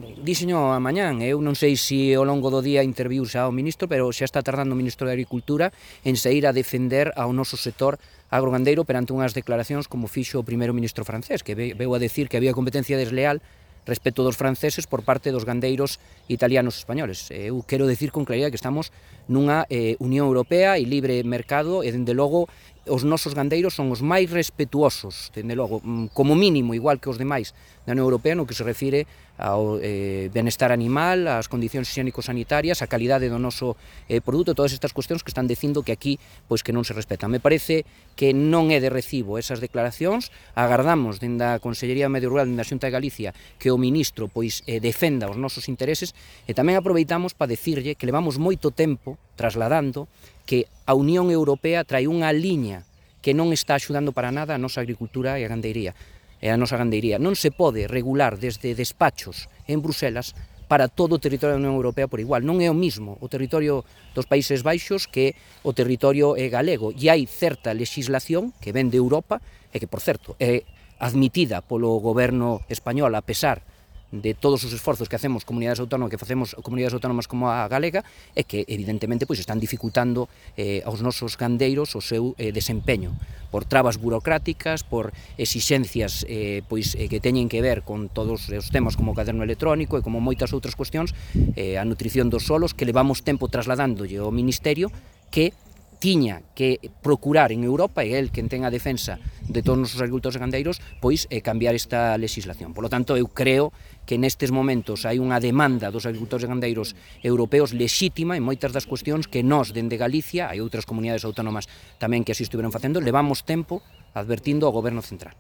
gandeiro? Díxeño a mañán, eu non sei se ao longo do día interviu xa o ministro, pero xa está tardando o ministro de Agricultura en sair a defender ao noso sector agrogandeiro perante unhas declaracións como fixo o primeiro ministro francés, que veu a decir que había competencia desleal respecto dos franceses por parte dos gandeiros italianos e españoles. Eu quero decir con claridade que estamos nunha Unión Europea e libre mercado e, dende logo, os nosos gandeiros son os máis respetuosos, dende logo, como mínimo, igual que os demais da Unión Europea, no que se refire ao benestar animal, ás condicións higiénico-sanitarias, a calidade do noso produto, todas estas cuestións que están dicindo que aquí pois que non se respetan. Me parece que non é de recibo esas declaracións, agardamos dende a Consellería de Medio Rural dende a Xunta de Galicia que o ministro pois defenda os nosos intereses e tamén aproveitamos para decirlle que levamos moito tempo trasladando que a Unión Europea trae unha liña que non está axudando para nada a nosa agricultura e a gandeiría. Non se pode regular desde despachos en Bruselas para todo o territorio da Unión Europea por igual. Non é o mismo o territorio dos Países Baixos que o territorio galego. E hai certa legislación que ven de Europa e que, por certo, é admitida polo goberno español a pesar de todos os esforzos que facemos comunidades autónomas como a galega e que evidentemente pois están dificultando aos nosos gandeiros o seu desempeño por trabas burocráticas, por exixencias que teñen que ver con todos os temas como o caderno electrónico e como moitas outras cuestións, a nutrición dos solos que levamos tempo trasladándolle ao Ministerio que tiña que procurar en Europa, e el quen ten a defensa de todos os nosos agricultores e gandeiros, pois cambiar esta legislación. Por lo tanto, eu creo que nestes momentos hai unha demanda dos agricultores e gandeiros europeos lexítima en moitas das cuestións que nós, dende Galicia, hai outras comunidades autónomas tamén que así estiveron facendo, levamos tempo advertindo ao Goberno Central.